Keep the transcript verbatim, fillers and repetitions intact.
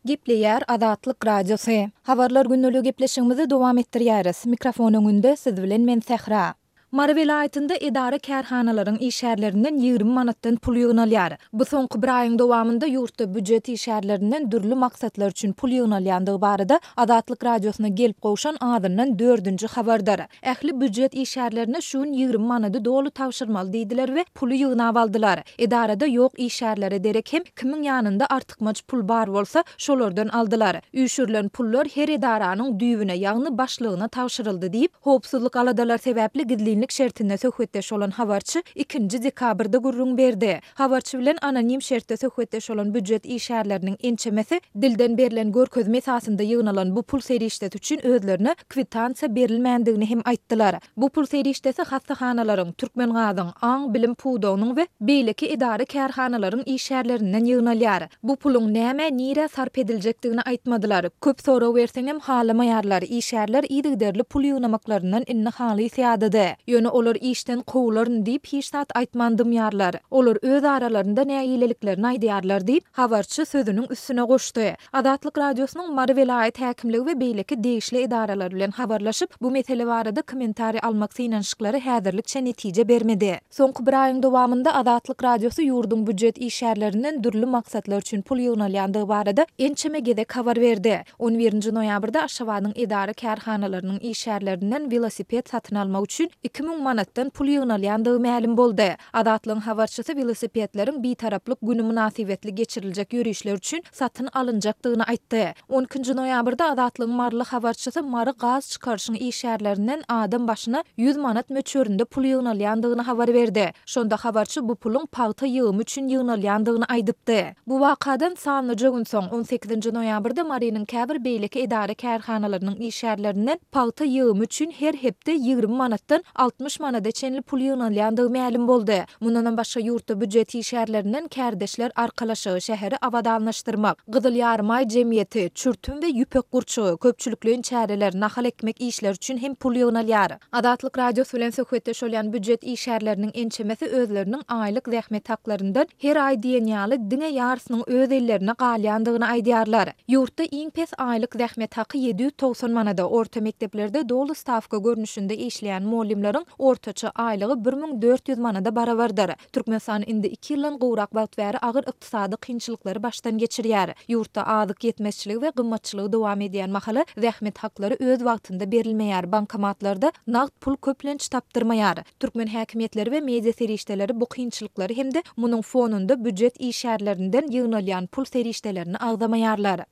Gepleýär Azatlyk Radiosy. Habarlar gündeligi gepleşigimizi dowam etdirýäris. Mikrofon öňünde siz bilen men Sähra. Mary welaýatynda edara-kärhanalaryň işgärlerinden ýigrimi manatdan pul ýygnalýar. Bu soňky bir aýyň dowamynda ýurtda býujet işgärlerinden dürli maksatlar üçin pul ýygnalýandygy barada Azatlyk Radiosyna gelip gowşan azyndan dördünji habardyr. Ähli býujet işgärlerine şu gün ýigrimi manady doly tabşyrmaly diýdiler we puly ýygnap aldylar. Edarada ýok işgärlere derek hem kimiň ýanynda artykmaç pul bar bolsa, şolardan aldylar. Üýşürilen pullar her edaranyň düýbüne, ýagny başlygyna tabşyryldy diýip, howpsuzlyk aladalary sebäpli gizlinlik şertinde söhbetdeş bolan habarçy ikinji dekabrda gürrüň berdi. Habarçy bilen anonim şertde söhbetdeş bolan býujet işgärleriniň ençemesi dilden berlen görkezme esasynda ýygnalan bu pul serişdesi üçin özlerine kwitansiýa berilmändigini hem aýtdylar. Bu pul serişdesi hassahanalaryň, Türkmengazyň, aň-bilim pudagynyň we beýleki edara-kärhanalaryň işgärlerinden ýygnalýar. Bu puluň nämä, nirä sarp ediljekdigini aýtmadylar. Köp sorag berseňem halamaýarlar. Işgärler yzygiderli pul ýygnamaklaryndan indi halys ýadady. Ýöne olar işden kowularyn diýip hiç zat aýtman dymýarlar. Olar öz aralarynda nägileliklerini aýdýarlar diýip, habarçy sözüniň üstüne goşdy. Azatlyk Radiosynyň Mary welaýat häkimligi we beýleki degişli edaralar bilen habarlaşyp, bu mesele barada kommentariý almak synanyşyklary häzirlikçe netije bermedi. Soňky bir aýyň dowamynda Azatlyk Radiosy ýurduň býujet işgärlerinden dürli maksatlar üçin pul ýygnalýandygy barada ençeme gezek habar berdi. On birinji noýabrda Aşgabadyň edara-kärhanalarynyň işgärlerinden welosiped satyn almak üçin iki müň manatdan pul ýygnalýandygy mälim boldy. Azatlygyň habarçysy welosipedleriň Bitaraplyk güni mynasybetli geçiriljek ýörişler üçin satyn alynjakdygyny aýtdy. On ikinji noýabrda Azatlygyň maryly habarçysy Mary gaz çykaryşyň işgärlerinden adam başyna ýüz manat möçberinde pul ýygnalýandygyny habar berdi. Şonda habarçy bu puluň pagta ýygymy üçin ýygnalýandygyny aýdypdy. Bu wakadan sanlyja gün soň, on sekizinji noýabrda Marynyň käbir beýleki edara-kärhanalarynyň işgärlerinden pagta ýygymy üçin her hepde ýigrimi manatdan altmyş manada çenli pul ýygnalýandygy mälim boldy. Mundanam başga ýurtda býujet işgärlerinden kärdeşler arkalaşygy, şäheri abadanlaşdyrmak, Gyzyl Ýarymaý jemgyýeti, çürtüm we ýüpek gurçugy, köpçülikleýin çäreler, nahal ekmek işleri üçin hem pul ýygnalýar. Azatlyk Radiosy bilen söhbetdeş bolýan býujet işgärleriniň ençemesi özleriniň aýlyk zähmet haklaryndan her aý diýen ýaly diňe ýarysynyň öz ellerine galýandygyny aýdýarlar. Ýurtda iň pes aýlyk zähmet haky ýedi ýüz togsan manada, orta mekdeplerde doly stawka görnüşinde işleýän mugallymlaryň ortaça aýlygy bir müň dört ýüz manada barabardyr. Türkmenistan indi iki ýyldan gowrak wagt bäri agyr ykdysady kynçylyklary başdan geçirýär. Ýurtda azyk ýetmezçiligi we gymmatçylygy dowam edýän mahaly zähmet haklary öz wagtynda berilmeýär, bankomatlarda nagt pul köplenç tapdyrmaýar. Türkmen häkimiýetleri we media serişdeleri bu kynçylyklary hem-de munuň fonunda býujet işgärlerinden ýygnalýan pul serişdelerini agzamaýarlar.